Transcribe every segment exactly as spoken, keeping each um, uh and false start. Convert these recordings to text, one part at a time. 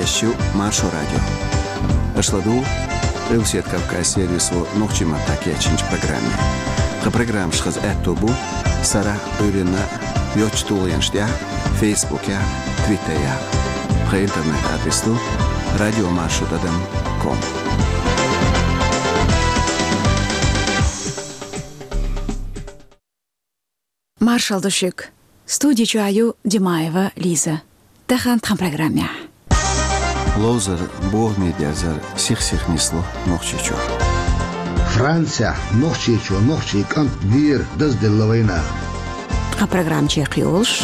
Шу Маршо радио. Аша ладугӀу Къилбаседа Кавказан сервисо нохчийн маттахь кечйинчу программе. Тхан программаш хаза аьтто бу сарахь а, Ӏуьйранна а йоцчу тулгӀенаш тӀехь, Фейсбукехь а, Твиттерехь а. Тхан интернет-адрес ду радио маршо тӀадам ком. Маршалла ду шуьга. Студи чохь ю Димаева Лиза. Тахана тхан программехь. Ловзар, бохаме дерзар сих-сиха нисло Нохчийчохь. Францехь нохчичо нохчийн кӀант дера дазделла вайнах. Тхан программа чекхйолуш.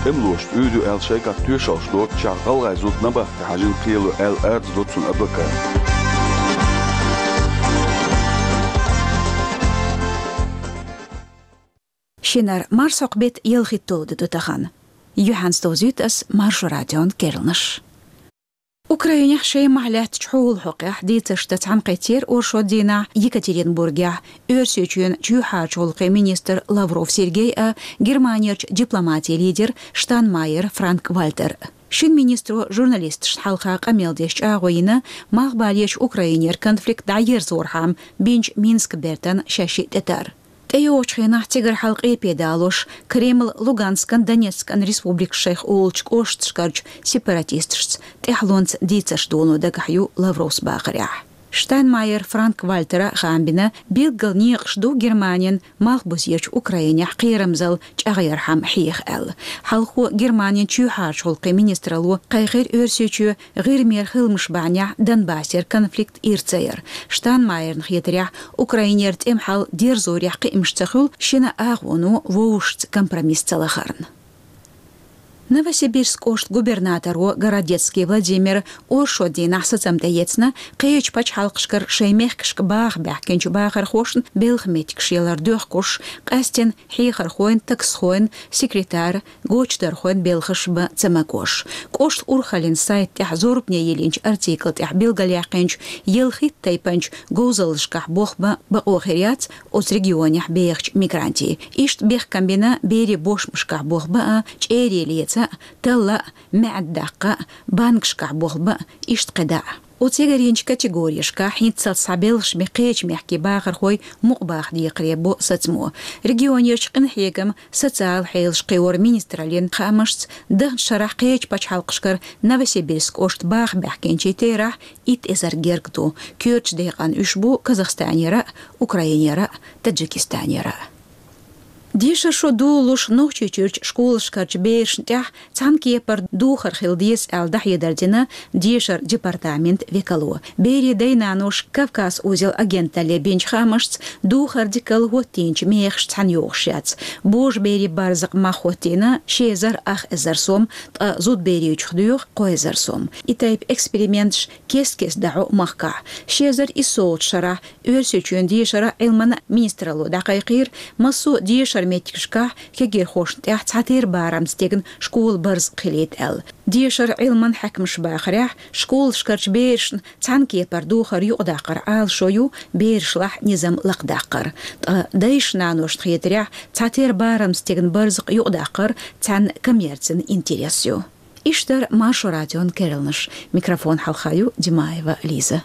ТӀемалоша Ӏуьйр ю аьлла шайгахь тоьшаллаш доцучохь гӀалгӀайн зуда набахте хьажийна кхело аьлла, арадза до цуьнан адвоката. Шинара марсхьокху беттан ялхитталгӀа де ду тахана. Юьхьанца довзуьйту ас Маршо радион керланаш. Украинехь Шемахь лаьттачу хьолан хьокъехь дийцарш дан цхьаьнакхеттера оршот дийнахь Екатеринбургехь Оьрсийчоьнан чоьхьарчу гӀуллакхийн министр Лавров Сергей а, Германерчу дипломатин лидер Штайнмайер Франк-Вальтер а. Шина министро журналисташна хьалха къамел деш чӀагӀо йина, малхбалерчу Украинера конфликт дӀаерзорхьама бинчу Минскан бертан шаьш шиъ тӀетар. ТӀейогӀучу хенахь цигара хьалха къепе далош, Кремль Луганскан, Донецкан республикаш шайх олучу кӀошташкарчу сепаратисташца тӀаьхьалонца дийцарш доно дагахь ю Лавровс бахарехь. Штайнмайер Франк-Вальтера хаам бина, билггал некъаш ду Германин малхбузерчу Украинехь кхерамзалла чӀагӀъярхьама хьеха аьлла. Хьалхо Германин чоьхьарчу гӀуллакхийн министралло кхайкхира Оьрсийчоь ГӀирмера хиламаш бахьанехь Донбассера конфликт ира ца яр. Штайнмайерна хетарехь, Украинера тӀеман хьал дерзорехь кхиамаш ца хуьлу, шина агӀоно вовшашца компромисс ца лахарна. Новосибирск кӀоштан губернаторо Городецкий Владимира оршот дийнахь сацам тӀеэцна, кхечу пачхьалкхашкара шайн мехкашка баха баьхкинчу бахархошна белхан меттигаш ялар доьхкуш, къаьсттина хьехархойн, таксхойн, секретарь, гочдархойн белхаш бан ца магош. КӀоштан урхаллин сайта тӀехь зорбане йиллинчу артикла тӀехь билгалъяьккхинчу ялхитта тайпанчу говзаллашкахь болх бан бакъо хир яц оцу регионехь бехачу мигрантийн. Иштта бехкам бина берийн бошмашкахь болх бан а, чӀерий леца а, талла а, маьӀда даккха а, банкашкахь болх бан а, иштта кхидӀа а. Оцу ягарйинчу категорияшкахь хӀинццалц схьабелхаш бен кхечу мехкийн бахархой мукъабаха декхаре бо сацамо. Регионерчу къинхьегаман, социалан хьелаш кхиоран министраллин хаамашца, даханчу шарахь кхечу пачхьалкхашкара Новосибирск кӀоштан баха баьхкинчийн терахь итт эзар герга ду. Коьртачу декъана уьш бу Казахстанера а, Украинера а, Таджикистанера а. Дешаран шо долалуш Нохчийчуьрчу школашкарчу берашна тӀехь цхьана кепара духар хила деза аьлла дӀахьедар дина дешаран департаментан векало. Берийн дай-наноша Кавказ узел агенталле бинчу хаамашца, духар дикалла хӀоттийначу мехаш цхьаьна йогӀуш яц. Божаберийн барзакъ мах хӀоттийна ши эзар ах эзар сом, ткъа зудаберийчух доьху кхо эзар сом. И тайпа эксперименташ кест-кеста дӀахьо махкахь. Ши эзар иссолгӀачу шарахь Оьрсийчоьнан дешаран а, Ӏилманан а министралло дӀакхайкхийра, массо а дешаран меттигашкахь кегирхошна тӀехь цхьатерра барамца стегна школан барзакъ хилийта аьлла. Дешаран, Ӏилманан хьаькамаша бахарехь, школашкарчу берашна цхьана кепара духар юкъадаккхаран Ӏалашо ю берашлахь низам лакхадаккхар. Ткъа дайшна-наношна хетарехь, цхьатерра барамца стегна барзакъ юкъадаккхар цхьана коммерцин интерес ю. Иштта дара Маршо радион керланаш. Микрофон хьалха ю Димаева Лиза.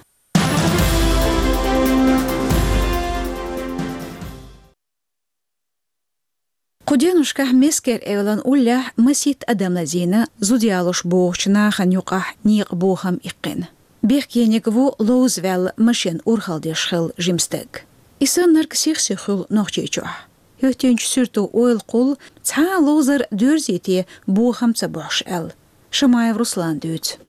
Кху деношкахь Мескер-Эвлан уллехь масийтта адам лазийна зуда ялош богӀучу нахана юкъахь некъан бохам иккхина. Бехкениг ву ловзаваьлла машен урхалла деш хилла жима стаг. И саннарг сих-сиха хуьлу Нохчийчохь. ХӀоьттинчу суьрто ойла кхуллу цхьа а ловзар доьрзий те бохам ца бохьуш аьлла. Шамаев Руслана дуьйцу.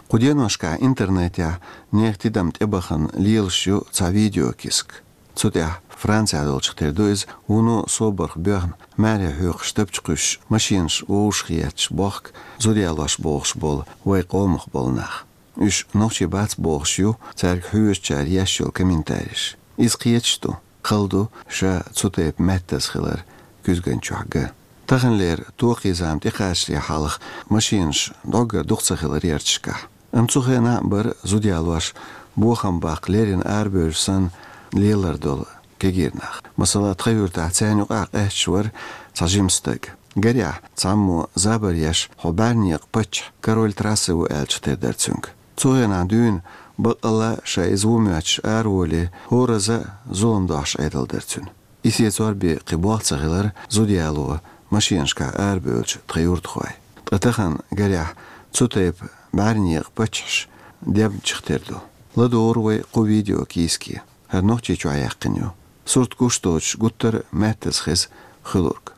Кху деношкахь интернетехь нехан тидам тӀебахана лелаш ю цхьа видеокиска. Цу тӀехь Францехь долчух тера ду иза, вуно собарх боьхна, маьрья хьоькхуш, тапча кхуьссуш, машенаш вовшахъетташ бохку зуда ялош богӀуш болу вайн къомах болу нах. Уьш нохчий бац бохуш ю цаьрга хьоьжучара еш йолу комментареш. Иза кхеташ ду, хала ду ша цу тайпа маьттаза хилар куьзган чохь ган. Таханлера токхийзама тӀекхачале хьалха машенаш дӀоггара дукха ца хилар ярташкахь. Амма цу хенахь а бара зуда ялош бохам баккха леррина арабевлла санна лелар долу кегийрнах. Масала, тхан юьртахь царна юкъахь къаьсташ вара цхьа жима стаг. Гарехь, цхьаммо забар еш, хьо бӀаьрнекъа паччахь, король трассы ву аьлча тера дара цуьнга. Цу хенахь дуьйна, баккъалла а ша иза ву моьттуш араволий, хӀораза а зулам дохьуш Ӏедал дара цуьнан. И сецор бен кхин болх ца хилар зуда яло машенашкахь арабевлча тхан юьртахой. Ткъа тахана, гарехь, цу тайпа бӀаьрнекъа паччахьаш дебначух тера ду. ЛадогӀур вай кху видео кийске. ХӀара Нохчийчохь яьккхина ю. Сурт гуш доцуш гуттар а маьттаза хеза хуьлург.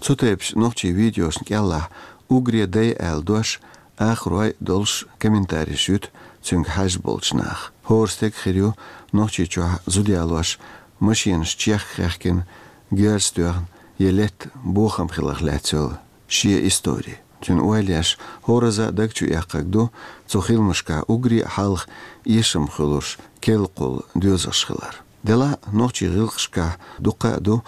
Цу тайпачу нохчийн видеошна кӀелахь «угре дай» аьлла дош, ахарой долуш комментареш юьту цуьнга хьаьжна болчу наха. ХӀора стеган хир ю Нохчийчохь зуда ялош машенаш чехка хаьхкина, герз тоьхна я летта бохам хиларх лаьцна йолу шен истори. Цуьнан ойла еш, хӀораза а даг чу эккхарг ду цу хиламашкахь угре а хьалха эшам хуьлуш керла кхолла доьзалш хилар. Делахь а нохчийн гӀиллакхашкахь дуккха а ду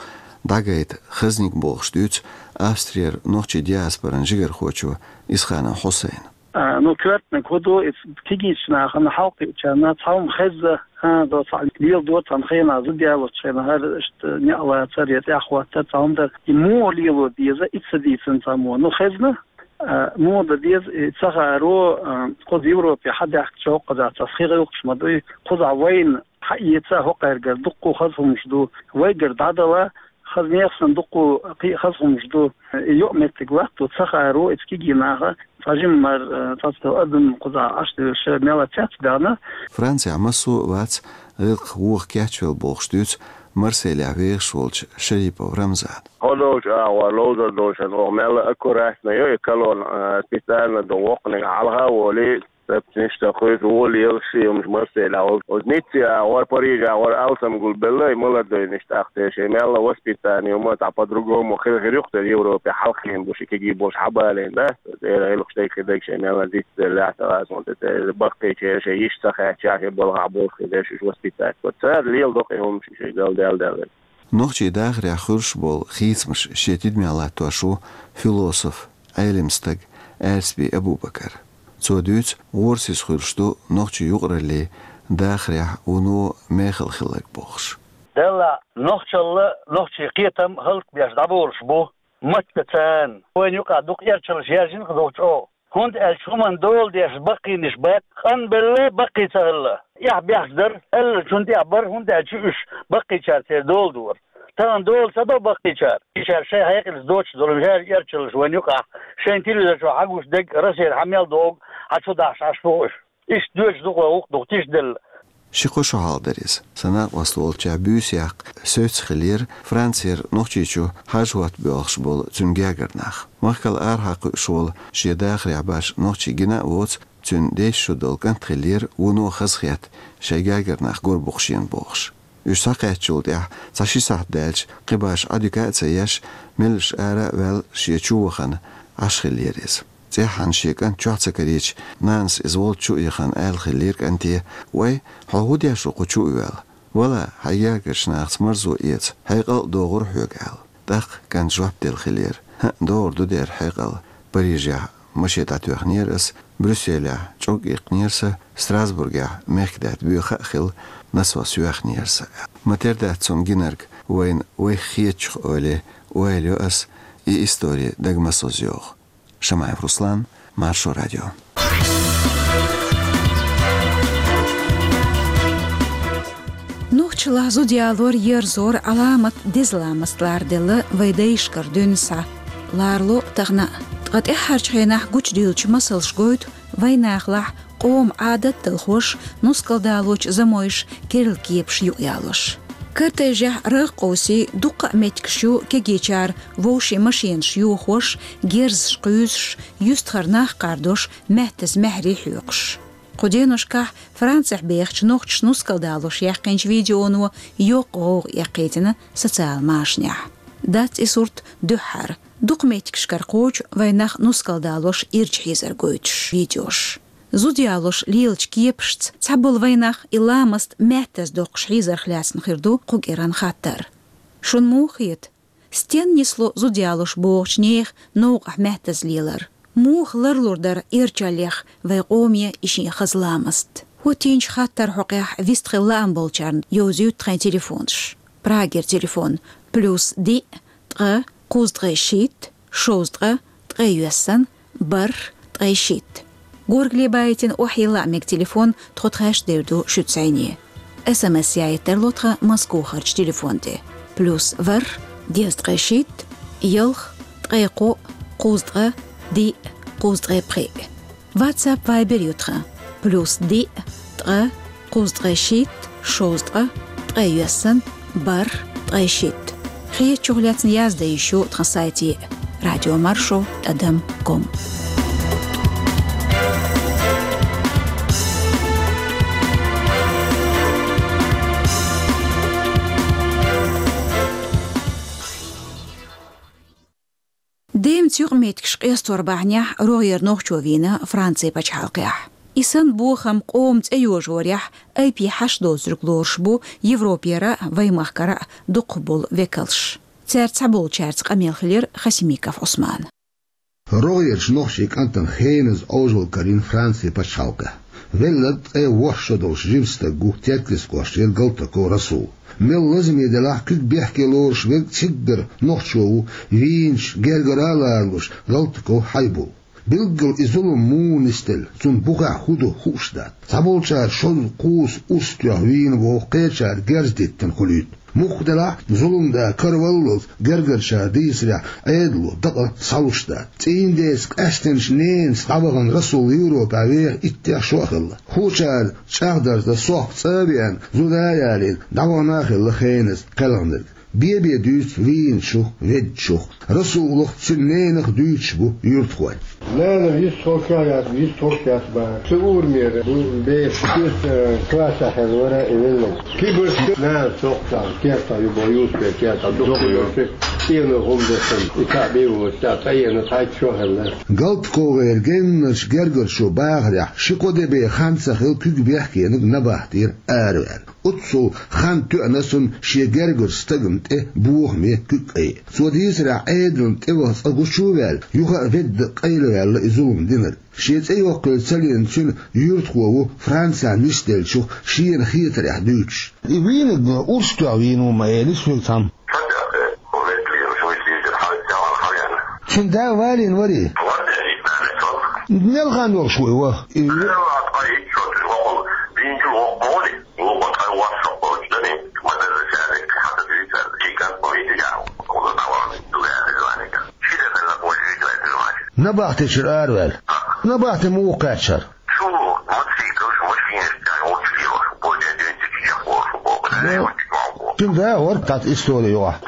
дӀагайта хазник, бохуш дуьйцу Австрера нохчийн диаспоран жигархочо Исханов Хьусайна. А, ну, коьртаниг хӀун ду, иза кегийчу нахана хьалакхиъчарна цхьа хӀума хезна, хӀан, до цхьаъ леладора цхьана хенахь, зуда ялочу хенахь, хӀара иштта некъ лацар я тӀаьхьахӀоттар, цхьа хӀума дар. И муха лело деза, и ца дийцина цхьаммо. Ну, хезна, а, муха дан деза, и ца хааро, а, кхуза Европе хьадаьхкича хӀокхузахь цхьа схьа гӀиллакхаш ма дуй, кхузахь вайна хьаэца хӀокхаьргара дуккха хаза хӀумаш ду, вайгара дӀадала, хаза нехан санна дуккха кхин а хаза хӀумаш ду. И йоӀ меттиг латто ца хааро, иза кегий наха, цхьа жимма мара, цхьацца адам кхузахь Ӏаш девлла, мелла цецбаьхна. Францехь массо а вац гӀиллакх воха кечвелла, бохуш дуьйцу Марселехь вехаш волчу Шарипов Рамзана. ХӀо долчу агӀор ловзар долчунна оха мелла аккуратно йо и колонна, а, специально ду воккханиг хьалха а волий, цепнаш а тахуьйту, вон лелаш а хӀумаш Марселехь волчу. Оцу Ницце агӀор, Париже агӀор алсам гулбелла и молодойнаш, тӀаккха церан шайн мелла воспитание ма, цхьа по-другому хир, хир ю-кх тера Европе хьалххе бу ши кегий болуш хьабалийна, да? Церан гӀиллакхаш дерг хи дерг шайн мелла дицделлехь, ца гӀазонца церан баккхийчеран шайн йиш ца хаьттича, шайн балхахь болх хи дерш уьш воспитать бо. Цара леладо-кх и хӀумаш, шайн гал дел-дел. Нохчийн дахарехь хуьлуш болу хийцамаш шен тидамехь латтош ву философ, Ӏелам стаг Аьрсби Абубакар. Цо дуьйцу, гӀорасиз хуьлуш ду нохчийн юкъараллин дахарехь вуно мехала хилларг, бохуш. Делахь нохчалла, нохчийн кхетам хӀаллакбеш дӀаболуш бу. Маттаца, вайна юкъахь дукха эрчаллаш яьржина-кх долчу оха. ХӀунда аьлча хӀуманна дола деш баккхийнаш бац, къанбелла баккхий ца хилла. Эхь бехк дара, аьллачунна тӀехь бара, хӀунда аьлча уьш баккхийчара церан дола дора. Тахана дола ца до баккхийчара. Ишара шайн хьекъалца доцуш долу мел эрчаллаш вайна юкъахь, шайн телевизор чохь хьагуш дерг, Россера хьан мел догӀу, хьан чу дахьаш Ӏаш бу уьш. Иштта доьдуш ду-кх вай гӀуллакх, дукха тиша делла. Ши-кхо шо хьалха дара иза. Сан накъост волчохь буьйса яккха соьца хиллера Францера Нохчийчу хьажа-хӀотта боьлхуш болу цуьнан гергара нах. Махкал арахьа кхуьуш волу, шен дахарехь баш нохчи гина а воцу, цуьнан деза шо долу кӀант хиллера, вуно хазахетта шайн гергара нах гур бу-кх шена, бохуш. Уьш схьакхаьчначул тӀаьхьа цхьа ши сахьт даьлча, кхин баш Ӏодика а ца еш, меллаша ара а ваьлла, шен чу вахана Ӏаш хиллера иза. ЦӀеххьана шен кӀант чохь ца карийча, нанас иза волчу чу а яхана, аьлла хиллера кӀанте: «Вай, хьо хӀун деш ву кху чу а ваьлла? Вала, хьайн гергарчу нахаца марзо эца, хьекъал а догӀура хьоьга», — аьлла. ТӀаккха кӀанта жоп делла хиллера: «ХӀаъ, догӀур ду дера хьекъал. Парижехь машен дӀатоьхнера ас, Брюсселехь чӀог иккхинера сан, Страсбургехь мехкадаьтта боьха а хилла, насос йоьхнера сан». Ма-тера дац цунна гинарг вайна вайх хетачух, ойла, ойла йо ас, и истори дага ма соза йогӀу. Шамаев Руслан, Маршо радио. Нохчаллахь зуда ялор, ерзор Ӏаламат деза ламаст ларделла вай дайшкара дуьйна схьа. Ларло тахана а. Ткъа тӀаьххьарчу хенахь гучудиллачу масалш гойту вайнахалахь къоман Ӏадат-талхош, нускалдалочу замойш керла кепаш юкъаялош. Кортежехь рагӀ къовсий, дуккха а меттигаш ю кегийчара вовшийн машенаш йохош, герзаш кхуьйсуш, юьстахара нах кхардош, маьттаза маьхьарий хьоькхуш. Кху деношкахь Францехь бехачу нохчаша нускалдалош яьккхинчу видеоно йоккха гӀовгӀа эккхийтина социал машанехь. Дац и сурт дуьххьара. Дукха меттигашкара кхочу вайнах нускалдалош ирча хьийзар гойтуш видеош. Зуда ялош лелачу кепашца цхьаболу вайнах и ламаст маьттаза доккхуш хьийзарх лаьцна хир ду кху кӀиран хаттар. Шуна муха хета, стенна нисло зуда ялош бохучу нехан новкъахь маьттаза лелар? Муха ларлур дара эрчаллех вай къоме и шен хаза ламаст? Путинчу хаттаран хьокъехь вистхила лаам болчарна йовзуьйту тхайн телефонаш. Прагера телефон: плюс диъ, ткъа, кхузткъе шийтта, шовзткъа, ткъе йоьссана, бархӀ, ткъе шийтта. Горгали байтина охьайилла а мега телефон, тхо тхаьш дер ду шуьца зӀене. СМС яийта тарло тхан Москвахарчу телефон тӀе: плюс ворхӀ, дезткъе шийтта, ялх, ткъе кхоъ, кхузткъа, диъ, кхузткъе пхиъ. WhatsApp, Viber ю тхан: плюс диъ, ткъа, кхузткъе шийтта, шовзткъа, ткъе йоьссана, бархӀ, ткъе шийтта. Хетачух лаьцна яздан йиш ю тхан сайте: радиомаршо тӀадам ком. Деман юкъаметтигаш къестор бахьанехь рогӀера нохчо вийна Францин пачхьалкхехь. И санна бохам къоман цӀе йожорехь айпе хьаш доцург лоруш бу Европера а, вайн махкара а дукхахболу векалш. Цаьрца цхьаболчаьрца къамел хилира Хасимиков Ӏусманан. РогӀерачу нохчийн кӀантана хеназа Ӏожалла карийна Францин пачхьалкхехь. Велларг ткъе ворхӀ шо долуш жима стаг ву Теркйистан кӀоштера Галтаков Расул. Мел лазаме делахь а, куьг бехке лоруш верг циггара нохчо ву, вийначу гергара а ларалуш, Галтаков Хьайбул. Билггал и зулам муха нисделла, цунна бухахь хӀун ду хууш дац. Цхьаболчара шозза, кхузза урс тоьхна вийна боху, кхечара герз диттина хуьлуьйту. Мухха делахь а, зуламда караваллалц гергарчара дийцарехь, Ӏедало дакъа схьалуш дац. ЦӀийнан деца къаьстинчу ненца дӀавахана Расул Европехь веха иттех шо а хилла. Хуучара чӀагӀдарца, сохка цӀа а веана, зуда а ялийна, дӀавахана а хилла хеназа кхелхинарг. Бен-бен дуьйцу вийначух, веддачух. Расулах, цуьнан ненах дуьйцуш бу юьртахой. Нана вистхуьлуш яц, вистхуьлуш яц боху. Цу урамера бу беша, кхечу классехь хилла вара и велларг. Кибарчу нана сохкуш, кертахь ю боху, Юсупера кертахь, дукха йолуш, цӀено хӀума деш санна, и цхьаъ бен воцуш, цӀа цӀанйина цхьайтта шо хилла. ГалтаковгӀеран геннарчу гергарчо бахарехь, ши-кхо де бен хан ца хилла, куьг бехкениг набахтера араваьлла. Оццул хан тоьъна цунна шен гергарчу стагана тӀе бохаме куьг кӀайн. Цо дийцарехь, Ӏедална тӀеваха цкъа гучу а ваьлла, юха а ведда къайлаваьлла и зулам динарг. Шен цӀе йоккхийла ца лиъна цуьнан юьртахо ву Францехь нисделлачух шена хетарехь дуьйцуш. И вийнарг урс тоьхна вийна ву ма элира соьга цхьамма. Цуьнан да валийна варий? Мел хан йолуш ву и ваха? И набахтечуьра араваьлла. Набахте муха кхаьччара? Цуьнан да а вара тӀаккха истори юкъахь.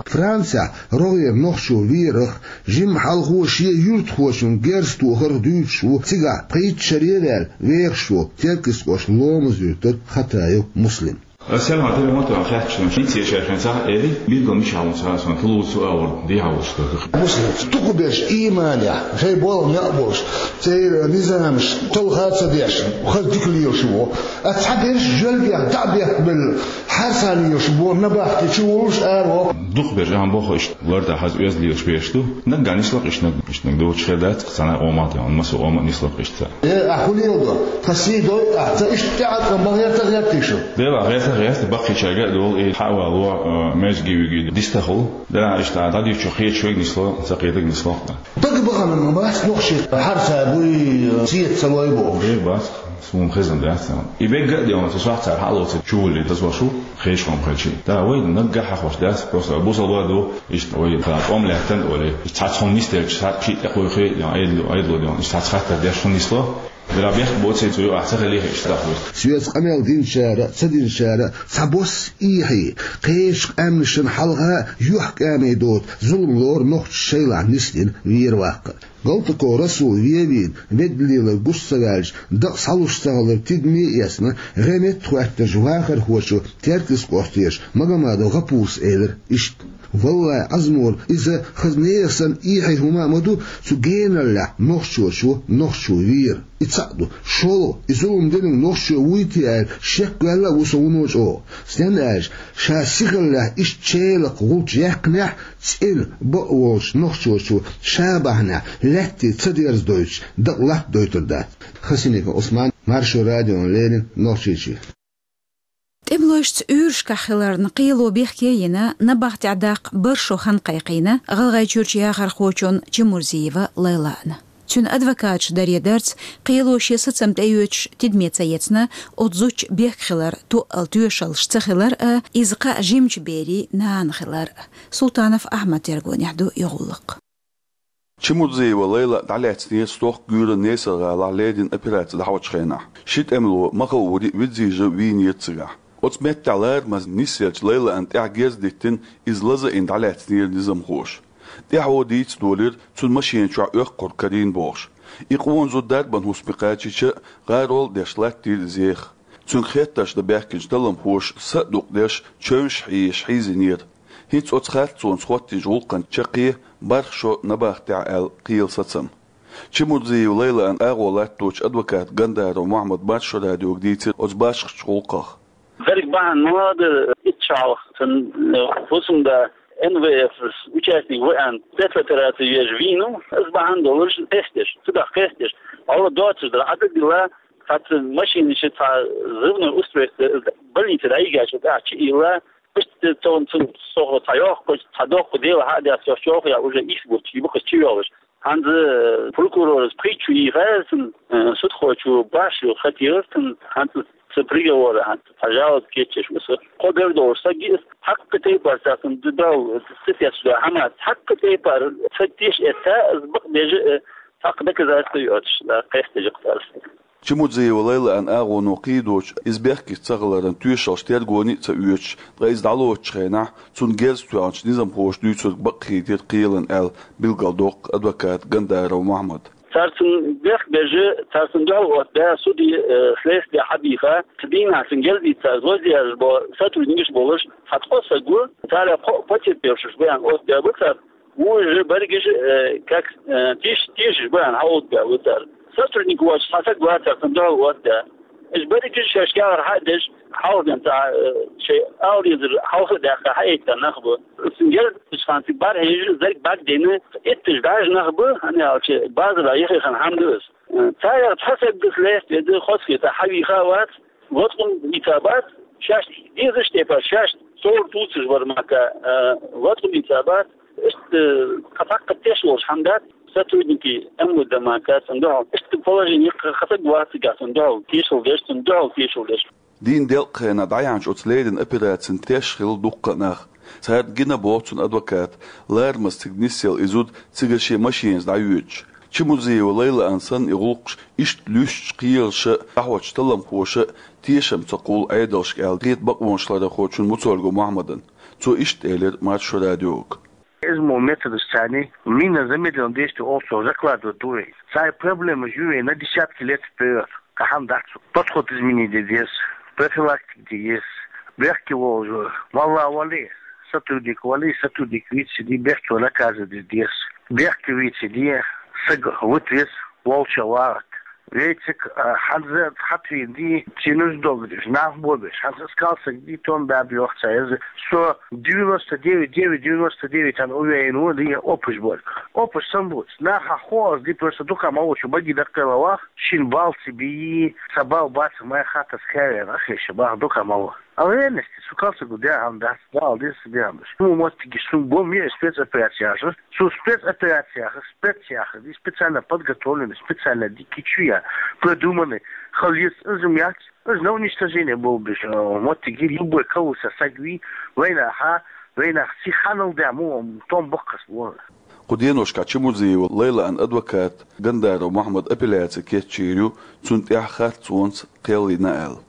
Францехь рогӀера нохчо верах, жимма хьалхо шен юьртахочун герз тохарх дуьйцуш ву цигахь пхийтта шаре а ваьлла вехаш волу Теркйистан кӀоштан Ломаз-Юьртара Хатаев Муслим. Ас сел хьан телефон тӀе хаьттича, шен цецваьллачу хенахь элира, билггал мичахь ву сан, сан Тулуса ву а вара дехьа волуш дара. Муслим, дукхахберш ийманехь, шайн болх некъ болуш, церан низамаш талха а ца деш, хаза дика лелаш ву. Ас цхьаберш жоьлгех дӀа а бехкабелла, хьарса лелаш бу, набахте чу волуш ара ву. Дукхахберш, ахьа боху, иштта лартӀехь хаза оьзда лелаш берш ду. Наггахь нисло-кх иштта, наггахь иштта, наггахь доцуш хир дац-кх, цхьана а къоман тӀе, масса а къоман нисло-кх иштта. Э, ахь хӀун леладо? Тхан сий дой ахь, ца иштта тӀеӀаткъам бан гӀертар гӀертий шу? Дела, гӀертар гӀерта, баккхийчаьрга а долу, и хьа а вало, э, маьждиге виге дистахула. Дела, иштта дӀадуьйцучу хеташ верг нисло, ца кхетарг нисло-кх. Дага бахана ма бац нохчий, хьарса буй, сета ца лой бохуш? Дера бац, суна хезна дац. И бегга а де ван, цу сохьта цара хьалоций чувуллий даза вашу, хешхом хечий. Да, вай наггахь хьахош дац, просто бусалба ду, иштта вай тӀом лаьттан олий. Иштта цхьацца хӀума нисделча, цхьа шиъ тӀекхойхий, я Ӏедало, Ӏедало де ван, иштта цхьацца хаттар деш хӀума нисло. Дера бехк боций, цу юкъахь ца хилий, иштта даха вай. Соьца къамел динчара, ца динчара, цхьабосса эхьий, кхечу къаьмнашна хьалха а юьхькӀаме доцу зулам лору нохчаша шайлахь нисдина вер-ваккхар. Галтаков Расул вен вийна, ведда лелар гуш ца ваьлча, дакъа схьалуш ца хилар тидаме а эцна, гӀеметтахӀоьттинчу вахархочо Теркйистан кӀоштера Магомадов ГӀапурас элира иштта: «Валлай, Ӏазмор, иза хаза нехан санна эхьий хӀума а ма ду, цу генараллехь нохчочо нохчо вер». И цхьаъ ду. ШолгӀа, и зулам динарг нохчо вуй те аьлла, шекваьлла а ву со вуно чӀогӀа. Стенна аьлча, ша сихаллехь иштта челакх гӀулч яьккхинехь, цӀена бакъ волчу нохчочо ша бахьанехь лаьттий ца дерзадойтуш, дакъа латтадойтур дац. Хасимиков Ӏусман, Маршо радиона леррина, Нохчийчоь. ТӀемалошца уьйрашкахь хиларна кхело бехке а йина, набахтехь даккха бархӀ шо хан кхайкхийна ГӀалгӀайчуьрчу яхархочунна Чимурзиева Лайлана. Цуьнан адвокаташа даре дарца, кхело шен сацам тӀеоьцуш тидаме ца эцна, оцу зудчун бехк хилар тоъал тоьшаллаш ца хилар а, иза кхаъ жимачу берийн нана хилар а. Султанов Ахьмадан тергонехь ду и гӀуллакх. Чимурзиева Лайла дӀалаьцнера стохка Гуьйран Несар-гӀалахь леррина операци дӀахьочу хенахь. Ши тӀемало, Махаурий а, Визижев а вийнера цигахь. Оцу меттехь ларамаза нисъеллачу Лайлана тӀехь герз диттина, иза лазийна дӀалаьцнера низамхоша. ТӀаьхьо дийца долийра, цуьнан машина чохь оьккхур карийна бохуш. И къона зуда дарбан хӀусаме кхачийча а, гӀарол а деш, латтийра иза еха. Цуьнга хеттарш дан баьхкинчу талламхоша са а дукъдеш, чевнаш а хьийзаш хьийзийнера. ХӀинца оцу харцонца хӀоттийначу гӀуллакхна чаккхе бархӀ шо набахтехь аьлла кхелан сацам. Чимурзиева Лайлана агӀо латточу адвоката Гандаров Мухьаммада Маршо радиога дийцира оцу башхачу гӀуллакхах. Дерриг бахьана ма ду, итт шо хьалха цуьнан, э, хӀусамда НВФ участник ву аьлла, спецопераци еш вийна, иза бахьана долуш къесташ, цу тӀехь къесташ. Алла доцуш дара, Ӏадат дилла, цхьацца машинаш, цхьа взрывной устройство, больнице дӀайигача тӀехь чу ийла, иштта цо цунна сохо цхьа йоккхуш, цхьа доккха дела хьа а дац, йо, чохь я уже ийс бутт, и буххаш чу йолуш. ХӀанз, э, прокурорас пхийтта шу йийхира цунна, э, судхочо бархӀ шу хатийра цунна, хӀинца цу приговора, хӀинца цхьа жалоба кечъеш ву со. Кхо бер долуш са гиъ, хьаккха тайпара царна ду дал, цитес да хӀама, хьаккха тайпара ца теш эцна, аз бакъ бежа, э, хьаккха доказательство йоцуш, да, къестежа кхарс. Чимурзиева Лайлана агӀоно кхийдочу, иза бехкаш ца хиларан тоьшаллаш тергоне а ца оьцуш, ткъа иза дӀалоцучу хенахь, цунна герз тоьхначу низамхоша дуьйцург бакъ хийтира кхелан аьлла, билгалдоккху адвоката Гандаров Мухьаммада. Цара цунна бехк бежа, цара цунна дуьхьал оттабаьа, суде, э, следствие хьабийха, цу дийнахь цунна герз дийца, злодеяш бо сотрудникаш болуш, цхьа ткъо саг ву, цара кхо а потерпевшаш бу аьлла оттабаьа бу цара. Вуьш берригаш, э, как, э, теш-, тешаш бу аьлла, хьалха баьлла ву цара. Сотрудник воцуш цхьа саг вацара, цунна дуьхьал оттадаь. Уьш берригаш шаьш кехат хьа а деш, хьалха ден цхьа, э, шайн ала дезар хьалха а даьккха, хьаэцна нах бу. Цуьнан герз дечу хана цига бӀарахьежа, зерг бӀаьрг дина, итташ бӀаьржа нах бу, хӀана аьлча базара яххе хана хӀама ду иза. Э, царех цхьа саг ду, следствие ду, хозахета хьавийха а вац, латкъам дийца бац, шаьш дезачу тайпара шаьш совр туцуш вара мака, э, латкъам дийца бац, иштта, э, кхин цхьаккха теш волуш хӀама дац, сотрудники МВД мака цунна дуьхьал. Иштта положение кхин саг вац цигахь цунна дуьхьал тешал деш, цунна дуьхьал тешал деш. Дийнан делкъа хенахь дӀаяьхьначу оцу леррина операцина теш хилла дуккха а нах. Царна гина, боху цуьнан адвоката, ларамаза цига нисъелла и зуда цигара шен машинаца дӀайоьдуш. Чимурзиева Лайлана санна и гӀуллакхаш иштта луьстучу кхелаша а, дӀахьочу талламхоша а тешам ца кхуллу Ӏедалшка аьлла, хета бакъонашларъярхочунна Муцольгов Мухьаммадна. Цо иштта элира Маршо радиога. Иза мо методаш царна мина замедленно действие олу, цо закладывать ду вай. Цхьа проблемаш ю вайн на десятки лет вперёд. Кхин хӀама дац. Подход изменить де деза, профилактика де еза, бехке волчо, валла вале, сотрудник вале, сотрудник вийцаде, бехке наказывать де деза. Бехке вийцаде, саг вуьту веза, волча вагӀат. Вейцик, а, хьанза хьатвийна ди, цуьнан уьш догдеш, нах бобеш, хьанза скалсаг ди, тон баьб йохца еза. Со девяносто девять, девять, девяносто девять ан уверен ву, ди опыш боль. Опыш сан буц. Наха хо аз ди просто дукха ма вучу баги даккхела вах, шин балци бии, са бал бац, май хатас кавер, ахеша бах дукха ма вах. А в реальности, сукалсаг гу дя хьан дац, дал дис дя хьан дац. Ну, моттиги сум бом е спецоперация же. Су спецоперация, специях, ди специально подготовленный, специально ди кичуя, продуманный, халис, изум яц, из на уничтожение был бы, э, моттиги любой кого-то сагви, война ха, война си ханал дя му, том боккас вон. Кху деношкахь Чимурзиева Лайлан адвокат Гандаров Мухьаммад апелляци кечйийр ю, цунна тӀехь харцонца кхел йина аьлла.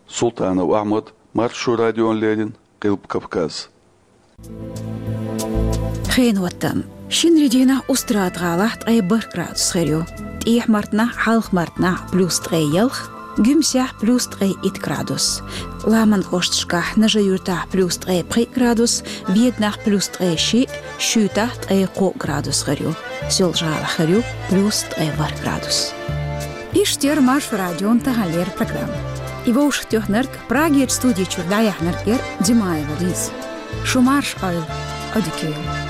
Султанов Ахьмад, Маршо радиона леррина, Къилба Кавказ. Хенан хӀоттам. Шинарин дийнахь Устрада-гӀалахь ткъе бархӀ градус хир ю. ТӀехьа-Мартанахь, Хьалха-Мартанахь плюс ткъе ялх, Гуьмсехь плюс ткъе итт градус. Ламан кӀошташкахь, Нажи-Юьртахь плюс ткъе пхиъ градус, Веданахь плюс ткъе шиъ, Шуьйтахь ткъе кхоъ градус хир ю. Соьлжа-ГӀалахь хир ю плюс ткъе ворхӀ градус. Иштта яра Маршо радион таханлера программа. И вовшахтоьхнарг, Прагерчу студи чуьра дӀаяьхьнарг яра Димаева Лиза. Шу марша Ӏойла, Ӏодика йойла.